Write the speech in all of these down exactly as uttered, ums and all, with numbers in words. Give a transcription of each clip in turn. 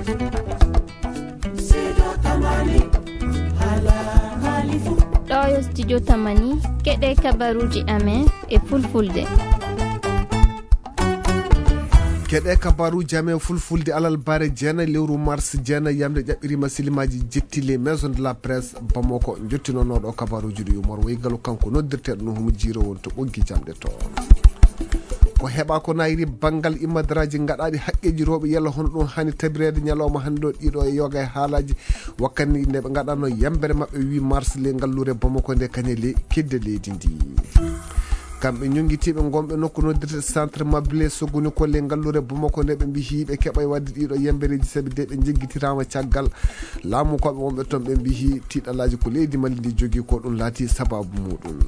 Ɗo yo studio Tamani, keɗe kabaruji amen e fulfulde. Keɗe kabaruji amen fulfulde alal bare jeenayi lewru mars jeenayi yamde ƴaɓɓirima silimaaji jetti les maisons de la presse Bamako jottinonooɗo kabaruji ɗi Umar Waygalu kanko noddirteeɗo no humo jiiro won to ɓoggi jamɗe to. Ko heɓa ko nayri banngal imadaraaji gaɗaaɗi haqqeeji rewɓe yalla hono ɗum hani tabireede ñalawma hannde ɗo ɗiɗo e yoga e haalaaji wakkati nde ɓe gaɗano yambere maɓɓe huit mars le ngalluure Bamako nde kañe le kedde leydi ndi. Kamɓe ñonngitiiɓe ngonɓe nokku noddirte centre mabile sogoni ko le ngalluure Bamako nde ɓe mbiyi ɓe keɓay wadde ɗiɗo yambereeji sabi de ɓe jeggitirama caggal laamu koɓe wonɓe toon ɓe mbiyi tiiɗalaaji ko leydi Mali ndi jogii ko ɗum laati sababu muɗum.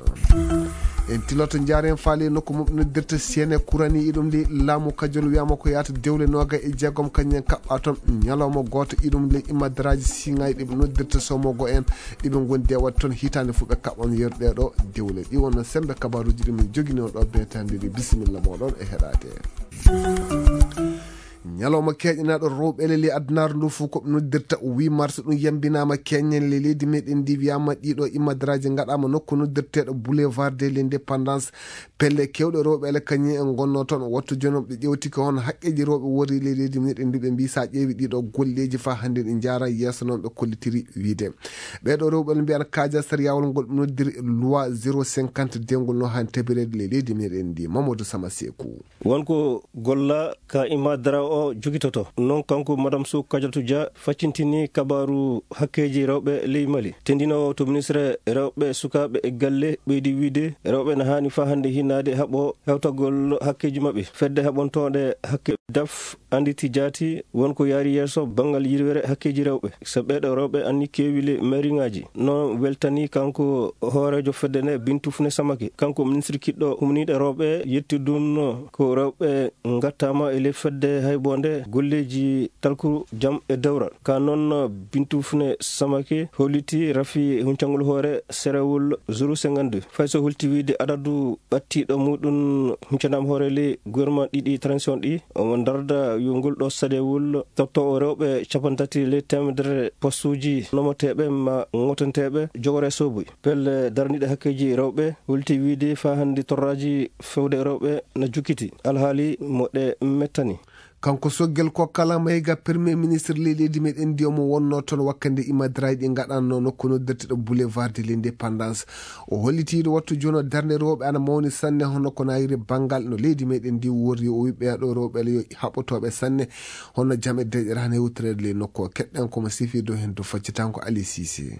En tiloto njaaren faale nokku mum noddirta sene kurani iɗum li laamu kajol wiyama ko yaata dewle noga e jeegom kañum en kaɓɓa toon ñalawma gooto iɗum li imadaraaji siŋaaji ɗi ɓe noddirta somogo en ɗi ɓe ngondi e waɗde toon hitaande fof ɓe kaɓɓam yeru ɗee ɗo dewle ɗi wonno sembe kabaruuji ɗi min joginoo ɗo beetande ɗi bisimilla mooɗon e heɗaade. Ñalawma keeƴanaaɗo rewɓe leli addunaare ndu fof ko ɓe noddirta huit mars ɗum yambinaama keñen le leydi meɗen ndi wiyama ɗiɗo imadaraaji ngaɗaama nokku noddirteeɗo boulevard de l'indépendance pelle kewɗe rewɓe ele kañum en gonno toon wattu jonom ɓe ƴewtike hono haqqeeji rewɓe wori le leydi meɗen ndi ɓe mbi sa ƴeewi ɗiɗo golleeji fa hannde ɗi jaara yeeso noon ɓe kollitiri wiide ɓeeɗo rewɓe ele mbiyata kaaja sariyawol ngol ɓe noddiri loi zéro cinquante dewngol no han tabireede le leydi meɗen ndi Mamadou Sama Seeku. Won ko golla ka Imadara o jogitoto. Noon kanko Madame Sow Kadiatou Dia faccintini kabaaru hakkeeji rewɓe ley Mali. Tendinoowo to ministre rewɓe sukaaɓe e galle ɓeydi wiide rewɓe na haani faa hannde hinnaade haɓo hewtagol hakkeeji maɓɓe. Fedde haɓontooɗe hakke daf annditi jaati won ko yaari yeeso banngal yirwere hakkeeji rewɓe. So ɓeeɗo rewɓe anni keewi le mairie ŋaaji. Noon weltani kanko hooreejo fedde nde Bintu Fune Samake. Kanko ministre kiɗɗo humniiɗo rewɓe yetti ɗum ko rewɓe ngattaama e ley fedde haybo nde golleeji talku jam e dewral. Ka noon Bintu Fune Samake holliti rafi huncangol hoore serewol zéro cinquante-deux. Fay so holti wiide adadu ɓattiiɗo muɗum huncanaama hoore ley gouvernement ɗiɗi transition ɗi, omo darda yo ngol ɗo saɗewol tottoo o rewɓe cappanɗe tati ley teemedere postuuji nomoteeɓe ma ŋotanteeɓe jogore sooboy. Pelle darniiɗe hakkeeji rewɓe holti wiide faa hannde torraaji fewde rewɓe na jukkiti alhaali mo ɗe mettani. Kanko Soggel Kokkala Mayga, Premier Ministre ley leydi meɗen ndi omo wonno toon wakkande imadaraaji ɗi ngaɗanno nokku noddirteɗo Boulevard de l'Indépendance. O holliti ɗo wattu jono darnde rewɓe ana mawni sanne hono ko nayiri banngal no leydi meɗen ndi worri o wi ɓeeɗo rewɓe yo haɓotooɓe sanne hono jam e deƴere hano hewtireede ley nokku o keɗɗen komo sifi dow heen dow faccitanko Ali Sisi.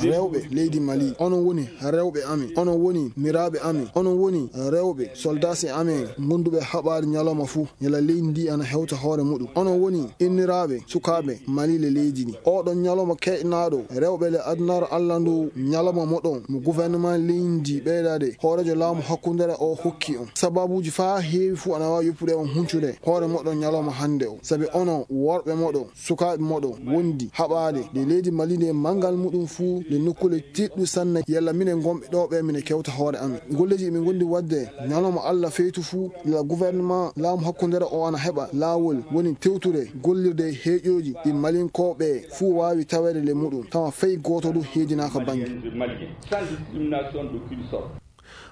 Rewɓe leydi Mali, onon woni rewɓe amen, onon woni miraaɓe amen, onon woni rewɓe soldaasi amen ngonduɓe haɓaade ñalawma fuu, ñala leydi ndi ana hewta hoore muɗum. Onon woni inniraaɓe sukaaɓe Mali le leydi ndi. Oɗon ñalawma keeƴnaaɗo rewɓe le adunaaru Allah ndu ñalawma moɗon mo gouvernement leydi ndi ɓeydaade hooreejo laamu hakkundere o hokki on. Sababuuji faa heewi fuu ana waawi yoppude on huncude hoore moɗon ñalawma hannde o. Sabi onon worɓe moɗon sukaaɓe moɗon wondi haɓaade nde leydi Mali nde manngal muɗum fuu nde nokkule tiiɗɗu sanne yalla minen ngonɓe ɗo ɓe mine kewta hoore amen. Golleeji ɗi min ngondi waɗde ñalawma Allah feytu fuu yalla gouvernement laamu hakkundere o ana heɓa laawol woni tewtude gollirde heeƴooji ɗi Malinkooɓe fuu waawi taweede le muɗum tawa fay gooto du heedinaaka bannge.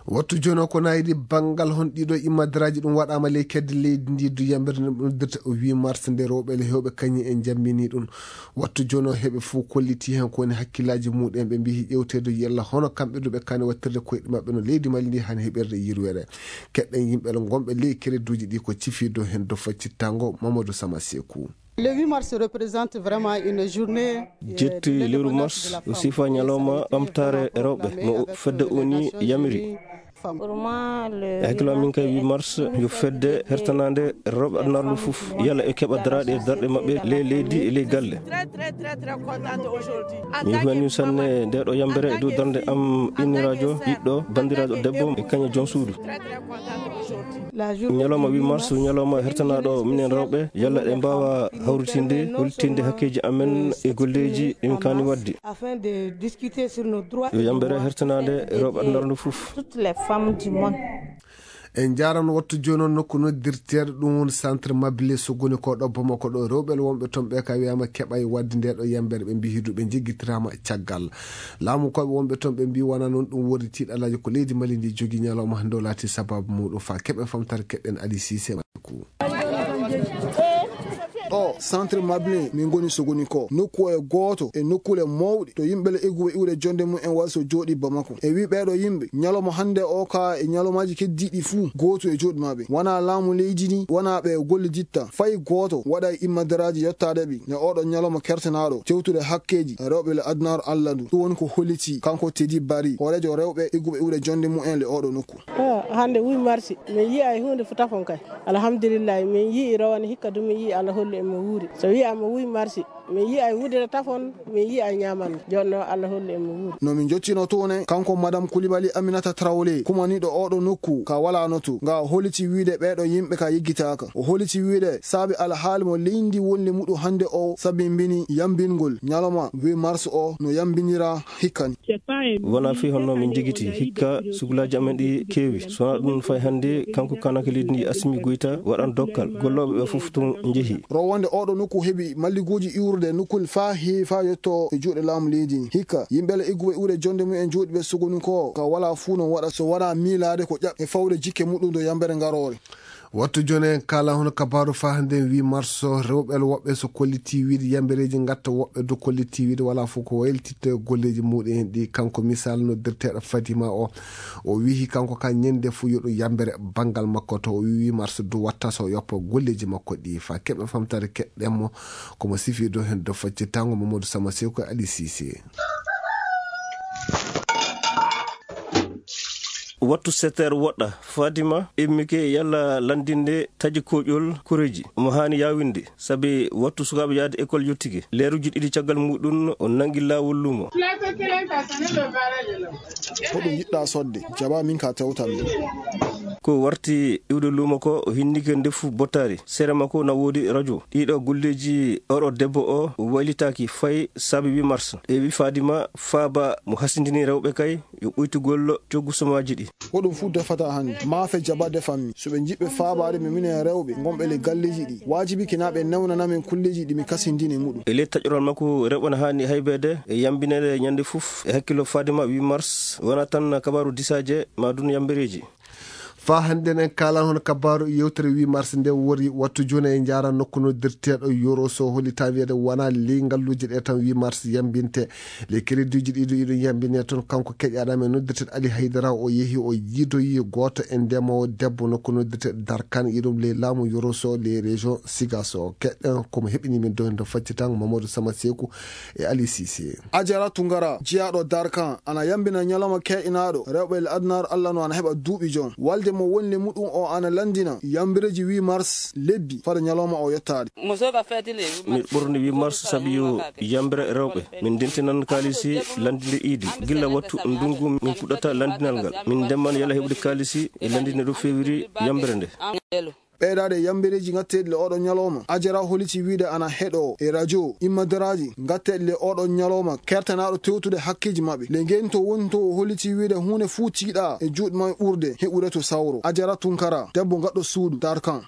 Wattu jooni o ko nayi ɗi banngal hon ɗiɗo imadaraaji ɗum waɗaama ley kedde leydi ndi du yambere nde ɗum noddirta o huit mars nde rewɓe le hewɓe kañi en jambini ɗum. Wattu jooni o heɓe fof kolliti heen ko woni hakkillaaji muɗum ɓe mbiyi ƴewteede yella hono kamɓe du ɓe kani wattirde koyɗe maɓɓe no leydi Mali ndi hani heɓirde yirwere. Keɗɗen yimɓe le ngonɓe ley kereduuji ɗi ko cifiido heen do faccittango Mamadou Sama Seeku. Le huit mars représente vraiment une journée, euh, jetti lewru mars o sifa ñalawma ɓamtaare rewɓe mo fedde O N U yamiri. E hakkillo amin kay huit mars yo fedde hertanaande rewɓe adunaaru ndu fof yalla e keɓa daraaɗe e darɗe maɓɓe ley leydi e ley galle. Mi weltanii sanne nde ɗo yambere e dow darnde am inniraajo ɓiɗɗo banndiraajo debbo e kañum joom suudu. Ñalawma huit mars ñalawma hertanaaɗo minen rewɓe yalla ɗe mbaawa hawritinde holtinde hakkeeji amen e golleeji ɗi min kaani waɗde. Yo yambere hertanaande rewɓe adunaaru ndu fof. En njaarano wattu jooni on nokku noddirteeɗo ɗum woni centre Mabile Sogoni ko ɗo Bamako ɗo. Rewɓe wonɓe toon ɓe ka wiyaama keɓay wadde nde ɗo yambere, ɓe mbi hidu ɓe jiggitirama caggal. Laamu koɓe wonɓe toon ɓe mbi wona noon ɗum woni tiiɗalaaji ko leydi Mali ndi jogi ñalawma hannde o laati sababu muɗum fa keɓe famtare keɗɗen Ali Sise. Ɗo centre Mabile min ngoni Sogoni ko nokku e gooto e nokkule mawɗe to yimɓe le egguɓe iwde jonde mum en wasi o jooɗi Bamako. E wi ɓeeɗo yimɓe ñalawma hannde o ka e ñalawmaaji keddiiɗi fuu gootu e jooɗi maɓɓe. Wona laamu leydi ndi, wona ɓe golle ditta. Fay gooto waɗa e immadaraaji yottaade ɓe ne oɗo ñalawma kertanaaɗo tewtude hakkeeji rewɓe le adunaaru Allah ndu. Ɗum woni ko holliti kanko Teddy Bari, hooreejo rewɓe egguɓe iwde jonde mum en le oɗo nokku. Ah, hannde huit mars, min yi'ay huunde fu tafon kay. Alhamdulillahi, min yi'i rawane hikka du, min yi'i Allah hollu en mo wuuri. So wi'ama huit mars, min yi'ay wudere tafon, min yi'ay ñaamande. Jooni noon Allah hollu en mo wuuri. No min jottino toon e kanko Madame Koulibaly Aminata Traoré, kumaniiɗo oɗo nokku ka wala notu. Nga holliti wiide ɓeeɗo yimɓe ka yeggitaaka. O holliti wiide saabi alhaali mo leydi wonde muɗum hannde o sabimbini yambingol ñalawma huit mars o no yambinira hikkani. Wona fii honno min jigiti hikka sugulaaji amen ɗi keewi. So wona ɗum fay hannde kanko kanake leydi ndi Assimi Goïta waɗan dokkal. Gollooɓe ɓe fof tun njehi. Rowande oɗo nokku heɓi malliguuji iwrude nokkul faa heewi faa yetto e juuɗe laamu leydi ndi. Hikka yimɓe le egguɓe iwde jonde mum en jooɗiɓe Sogoni ko ka wala fuu no waɗa so wona miilaade ko ƴaɓ e fawde jikke muɗum do yambere ngaroore. Wattu jooni en kaala hono kabaaru faa hannde huit mars o, rewɓe woɓɓe so kolliti wiide yambereeji ngatta, woɓɓe du kolliti wiide wala fof ko waylititta golleeji muɗum en ɗi. Kanko misal noddirteeɗo Fadima o, o wihi kanko ka ñande fof yo ɗum yambere banngal makko to o wi huit mars du watta so yoppa golleeji makko ɗi. Fa keɓe famtare keɗɗen mo, komo sifi do heen do faccitango Mamadou Sama Seku Ali Sise. Wattu sept heures woɗɗa, Fadima immike yalla lanndinde taƴi koƴol koreeji. Omo haani yaawinde, sabi wattu sukaaɓe yahde école yottike. Leeruuji ɗiɗi caggal muɗum, o nanngi laawol luumo. Hoɗum yiɗɗa sodde? Jaba min ka tewtan ɗum. Ko warti iwde luumo ko, o hinnike ndefu bottaari. Sere makko na woodi radio. Ɗiɗo golleeji oɗo debbo o waylitaaki fay sabi huit mars. E wi Fadima faaba mo hasindini rewɓe kay yo ɓuytugol coggu somaaji ɗi. Ko ɗum fuu defata hannde. Maafe jaba defammi. So ɓe njiɗɓe faabaade mi minen rewɓe ngonɓe le galleeji ɗi, waajibi kina ɓe newnana min kulleeji ɗi mi kasindini muɗum. E ley taƴoral makko, rewɓe na haani haybeede e yambineede ñande fof. E hakkillo Fadima, huit mars wona tan kabaaru disaaje ma dun yambereeji. Fa hannde en kaalan hono kabaaru yewtere huit mars nde wori wattu jooni e njaara nokku noddirteeɗo Yoro so hollita wiyeede wona ley ngalluuje ɗe tan huit mars yambinte. Les créditji ɗiɗo iɗum yambine toon. Kanko keƴaɗam e noddirteeɗo Ali Haydara o yehi o yiidoyi gooto e ndemoowo debbo nokku noddirteeɗo Darkan iɗum ley laamu Yoro so ley région Sigaso. Keɗɗen komo heɓini min dow heen to faccitango Mamadou Sama Seku e Ali Sise. Ajara Tungara, jiyaaɗo Darkan, ana yambina ñalawma ke'inaaɗo rewɓe le adunaaru Allah no ana heɓa duuɓi jon. Walde mo woni le muɗum o ana lanndina yambireeji huit mars lebbi fada ñalawma o yottaade. Mi ɓurni huit mars sabi yo yambere rewɓe. Min ndentinan kaalisi lanndinde iidi. Gilla wattu ndungu min puɗɗata lanndinal ngal. Min ndemman yala heɓude kaalisi e lanndinde ɗo feewiri yambere nde. Ɓeydaade e yambereeji ngatteeɗi le oɗo ñalawma, Ajara holiti wiide ana heɗoo e radio immadaraaji ngatteeɗi le oɗo ñalawma kertanaaɗo tewtude hakkeeji maɓɓe. Le ngento woni to o holiti wiide huunde fuu tiiɗa e juuɗe maɓɓe ɓurde heɓude to sawro. Ajara Tunkara, debbo gaɗɗo suudu, Darkan.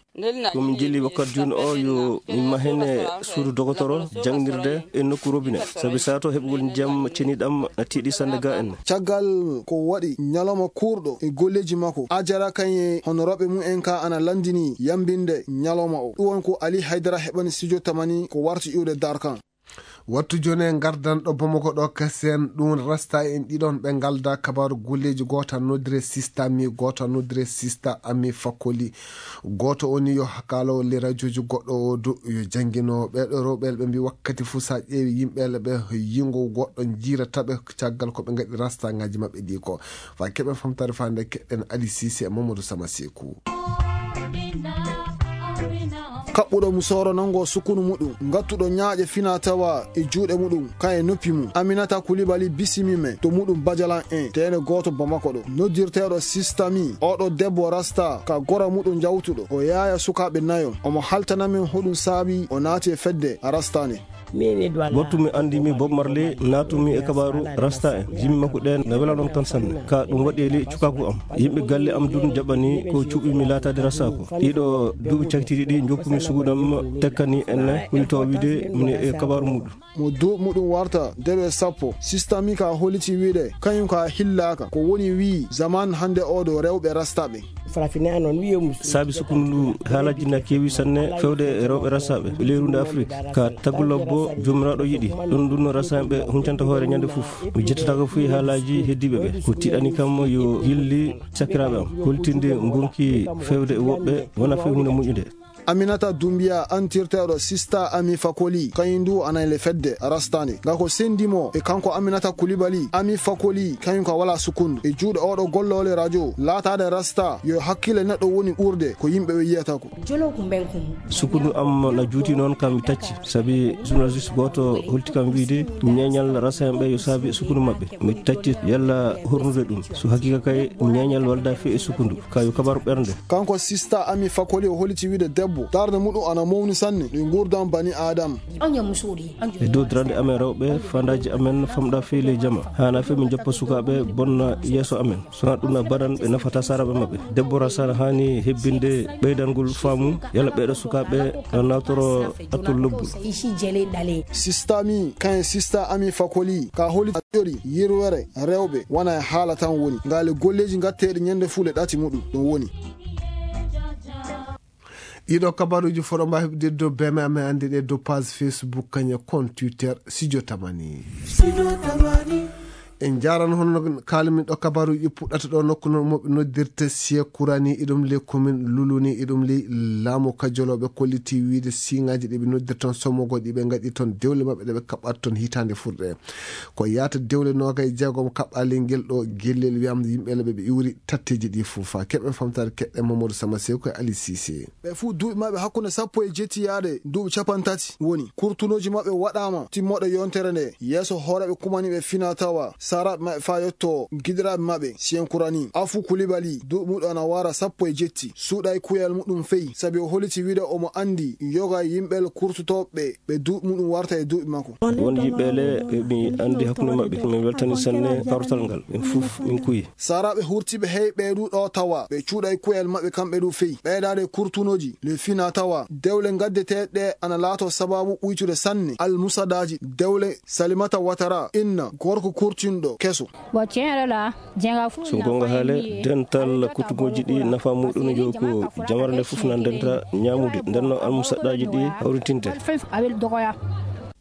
Ko min jilli wakkati jooni o yo min mahene suudu dogotoro, jangnirde e nokku robinet. Sabi sato heɓugol ndiyam ceniɗam na tiiɗi sannde ga en. Caggal ko waɗi ñalawma kuurɗo e golleeji makko, Ajara kañe hono rewɓe mum en ka ana lanndini yambinde ñalawma o. Ɗum won ko Ali Haydara heɓani studio Tamani ko warti iwde Darkan. Wattu jooni e ngardan ɗo Bamako ɗo kasen ɗum rasta en ɗiɗon ɓe ngalda kabaaru golleeji, gooto noddire sista mi, gooto noddire sista ami fakkoli. Gooto o ni yo kaalo le radioji goɗɗo o du yo janngino ɓeɗo rewɓe ɓe mbi wakkati fuu sa ƴeewi yimɓe ɓe yingo goɗɗo jiirata ɓe caggal ko ɓe ngaɗi rasta ngaji maɓɓe ɗi ko. Fa keɓe famtare fa nde keɗɗen Ali Sise e Mamadou Sama Seku. Kaɓɓuɗo musoro nango sukunu muɗum, ngattuɗo ñaaƴe fina tawa e juuɗe muɗum, kan e noppi mum. Aminata Koulibaly bisimi men to muɗum Bajalan en, teene gooto Bamako ɗo. Noddirteeɗo Sistami, oɗo debbo rasta ka gora muɗum jawtuɗo. O yaaya sukaaɓe nayo. Omo haltana men hoɗum saabi o naati e fedde rasta nde. Wattu mi anndi mi Bob Marley, naatumi e kabaaru rasta en. Jimi makko ɗen na wela noon tan sanne. Ka ɗum waɗi e ley cukaaku am. Yimɓe galle am dun jaɓani ko cuɓimi laataade rasta ko. Ɗiɗo duuɓi cakitiiɗi ɗi joppumi suguɗam tekkani en ne hulito wiide mine e kabaaru muɗum. Mo duuɓi muɗum warta debe sappo. Sista mi ka holiti wiide kañum ka hillaaka. Ko woni wi'i zaman hannde o do rewɓe rasta ɓe. Saabi sukundu ndu haalaaji na keewi sanne fewde e rewɓe rasaaɓe leerunde Afrik. Ka tagu labbo joomiraaɗo yiɗi ɗum ɗum no rasaaɓe huncanta hoore ñande fof. Mi jettataako fuy haalaaji heddiiɓe ɓe. Ko tiɗani kam yo gilli sakiraaɓe am. Holtinde ngonki fewde e woɓɓe wona fey hunde moƴƴude. Aminata Dumbiya antirteeɗo sista Ami Fakoli kañum ndu anay le fedde rastande nga ko sendi mo e kanko Aminata Kulibali. Ami Fakoli kañum ka wala sukundu e juuɗe oɗo golloole radio laataade rasta yo hakkille neɗɗo woni ɓurde ko yimɓe ɓe yiyata ko. Sukundu am na juuti noon kam mi tacci sabi journaliste gooto holti kam wiide ñeeñal rasta en ɓe yo saabi sukundu maɓɓe. Mi tacci yalla hornude ɗum so haqiqa kay ñeeñal walda fe e sukundu. Kayo kabaru ɓernde. Kanko sista Ami Fakoli o holiti wiide debbo darde muɗum ana mawni sanne ɗi ngurdam bani adam. E dow darande amen rewɓe fandaaji amen famɗa fey ley jama haana fe min joppa sukaaɓe bonna yeeso amen. Sona ɗum na badan ɓe nafata saraɓe maɓɓe. Debbo rasana haani hebbinde ɓeydangol faamu yalla ɓeɗo sukaaɓe na nawtoro attol lobbol. Sista mi kayen sista Ami Fakoli ka holiti yori yirwere rewɓe wona e haala tan woni. Ngaale golleeji ngatteeɗi ñande fuu le ɗati muɗum ɗum woni. Ɗiɗo kabaruuji foɗo mba heɓde dow beme amen annde ɗe dow page Facebook kañe compte Twitter Sidio Tamani. En njaran hono kaalmi ɗo kabaruuji puɗɗata ɗo nokku no moɓe noddirta Siye Kurani iɗum le commune Luluni iɗum le laamu kajolooɓe kolliti wiide siŋaaji ɗi ɓe noddirta toon somogo ɗi ɓe ngaɗi toon dewle maɓɓe ɗe ɓe kaɓɓata toon hitaande furɗe. Ko yaata dewle noogay jeegom kaɓɓaali ngel ɗo gellel wiyam yimɓe le ɓe ɓe iwri tatteeji ɗi fof. Keɓe famtaade keɗɗe Mamadou Sama Sew ko Ali Cissé. Ɓe fuu duuɓi maɓɓe hakkunde sappo e jetti yaade duuɓi capanɗe tati woni. Kurtunooji maɓɓe waɗaama timmooɗe yontere nde yeeso hooreeɓe kumaniiɓe fina tawa saraaɓe maɓɓe faa yotto giɗiraaɓe maɓɓe Siyen Kurani. Afu Kulibali duuɓi muɗum ana wara sappo e jetti. Suuɗay kuyal muɗum fey sabi o holiti wiide omo anndi yoga yimɓe kurtotooɓe ɓe duuɓi muɗum warta e duuɓi makko. Won yimɓe le ɓe mi anndi hakkunde maɓɓe. Min weltani sanne kawtal ngal. Min fof min kuyi. Saraaɓe hurtiiɓe hey ɓee ɗu ɗo tawa ɓe cuuɗay kuyal maɓɓe kamɓe ɗu fey. Ɓeydaade kurtunooji le fina tawa dewle ngaddeteeɗe ɗe ana laato sababu ɓuytude sanne almusadaaji dewle Salimata Watara inna gorko kurtinɗo keso. So gonga haale dental kuttugooji ɗi nafa muɗum yo ko jamare nde fof na ndenta ñaamude ndenno almusadaaji ɗi hawritinte.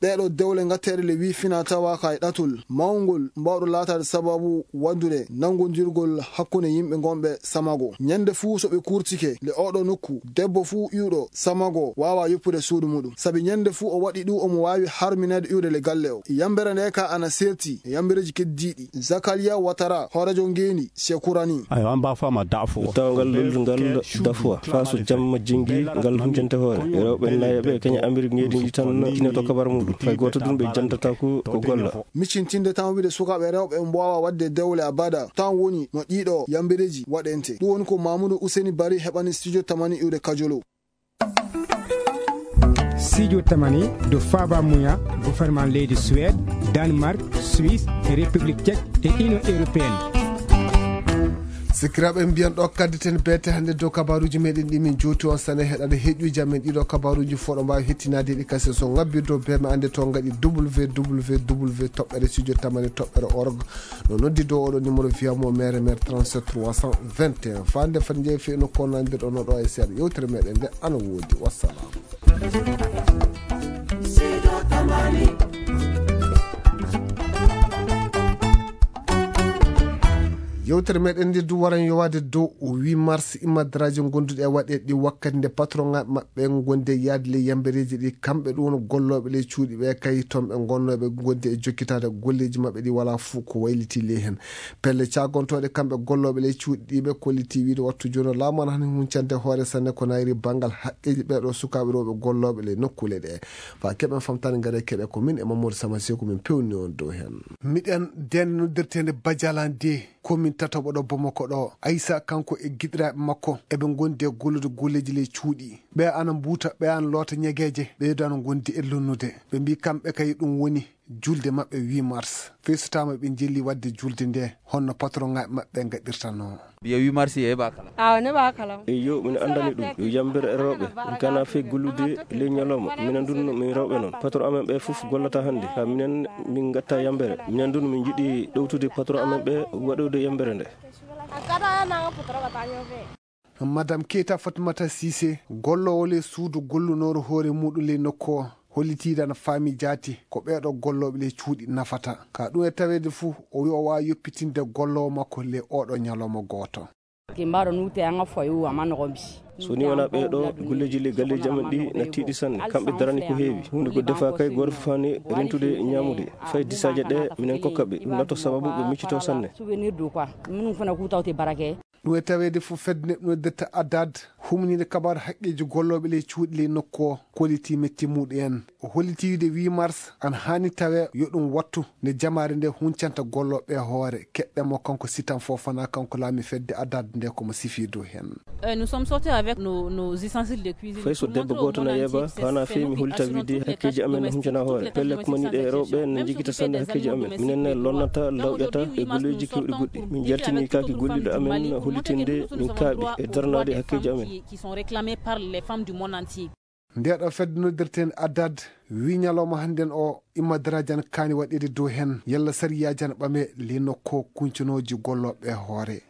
Ɗeeɗo dewle ngatteeɗe le wii fina tawa ka e ɗatol mawngol mbawɗo laataade sababu waɗdude nanngondirgol hakkunde yimɓe ngonɓe samago. Ñande fuu so ɓe kurtike le oɗo nokku debbo fuu iwɗo samago waawa yoppude suudu muɗum sabi ñande fuu o waɗi ɗum omo waawi harminaade iwde le galle o. Yambere nde ka ana serti e yambereeji keddiiɗi. Zakariya Watara hooreejo ngeendi Sekurani. Ayo an ba fama dafo. Tawa ngal loldu ngal dafuwa faa so jamma jingi ngal huncante hoore rewɓe nayaɓe kaña Amerik ngeendi ndi tan tinoto kabar muɗum fay gooto ɗum ɓe jantata ko ko golla. Miccintinde tan wiide sukaaɓe rewɓe mbaawa waɗde dewle abada tan woni no ɗiɗo yambereeji waɗente. Ɗum woni ko Mamoudou Ouseni Bari heɓani studio tamani iwde kajolo. Sidio tamani do faba muya gouvernement leydi Suède, Danemark, Suisse, République tchèque et Union européenne. Sikiraaɓe mbiyan ɗo kadditen beete hannde dow kabaruuji meɗen ɗi min jowti on sane heɗade heƴuji amen ɗiɗo kabaruuji foɗo mbawi hettinaade ɗi kasi so ngabbi dow beme ande to ngaɗi www toɓɓere studio tamani toɓɓere org. No noddi dow oɗo numéro via mo mere mere trente-sept trois cent vingt et un fande fat jeeyi fe no konnandirɗo no ɗo e seeɗa yewtere meɗen nde ana woodi wassalam. Yewtere meɗen nde du waran yowaade dow o huit mars immadraji gonduɗe e waɗe ɗi wakkati nde patron maɓɓe gondi e yaade ley yambereji ɗi kamɓe ɗum gollooɓe ley cuuɗi ɓe kay toon ɓe gonnooɓe gondi e jokkitaade golleji maɓɓe ɗi wala fuu ko wayliti ley hen. Pelle cagontooɗe kamɓe gollooɓe ley cuuɗi ɗi ɓe kolliti wiide wattu jooni laamu ana hani huncande hoore sanne ko nayri banngal haqqeeji ɓeeɗo sukaaɓe rewɓe gollooɓe ley nokkuule ɗe. Faa keɓen famtaade ngare keɗe ko min e Mamadou Sama Seeku min pewni on dow heen. Miɗen deen noddirteende Badialan de. Komin tataɓo ɗo Bamako ɗo, Aysa kanko e giɗiraaɓe makko eɓe ngondi e gollude golleeji ley cuuɗi. Ɓe ana mbuuta, ɓe ana loota ñegeeje, ɓeydo ana ngondi e lonnude. Ɓe mbii kamɓe kay ɗum woni julde maɓɓe huit mars. Fey so taama ɓe njeli waɗde julde nde, honno patronŋaaɓe maɓɓe ngaɗirtanoo. Biya huit mars yeeɓa kala. Awa ne ba kala. Eyyo, min anndani ɗum yo yambere e rewɓe. Min kana fey gollude ley ñalawma. Minen ndun min rewɓe noon. Patron amen ɓe fof gollata hannde. Ha minen min ngatta yambere. Minen ndun min njiɗi ɗowtude patron amen ɓe waɗude yambere nde. Madame Keita Fatimata Cissé, golloowo ley suudu gollunooru hoore muuɗum ley nokku o, hollitiide ana faami jaati ko ɓeeɗo gollooɓe ley cuuɗi nafata. Ka ɗum e taweede fuu, o wi'i o waawa yoppitinde golloowo makko ley ooɗo ñalawma gooto. Ke mbaɗo nute anga foyo ama nogo bi. So ni wona ɓeeɗo golleeji ley galleeji amen ɗi na tiiɗi sanne. Kamɓe darani ko heewi. Huunde ko defa kay gooto fof hani rentude ñaamude. Fay disaaje ɗe minen kokka ɓe. Ɗum natto sababu ɓe miccito sanne. Souvenir de quoi? Minnu fana k'u taw te barake. Ɗum e taweede fof fedde neɗɗo noddirta Adad, humniinde kabaaru haqqeeji gollooɓe ley cuuɗi ley nokku o, kollitii metti muɗum en. O hollitii wiide huit mars ana haani tawee yo ɗum wattu nde jamaare nde huncanta gollooɓe e hoore. Keɗɗen mo kanko Sitan Fofana, kanko laami fedde Adad nde ko mo sifii dow heen. Euh, nous sommes sortis avec nos, nos ustensiles de cuisine. Fay so debbo gooto na yeeba, hana feewi mi hollita wiide hakkeeji amen ne huncana hoore. Pelle ko maniiɗe e rewɓe ne njigita sanne hakkeeji amen. Minen ne lonnata, lawƴata e golleeji keewɗi goɗɗi. Min njaltini kaaki golliiɗo amen hollitinde min kaaɓi e darnaade hakkeeji amen. Qui sont réclamés par les femmes du monde entier. Ndeeɗo fedde noddirten Adad, wi ñalawma hannden o, imma daraaji ana kaani waɗeede dow heen, yalla sariyaaji ana ɓame ley nokku kuncanooji gollooɓe e hoore.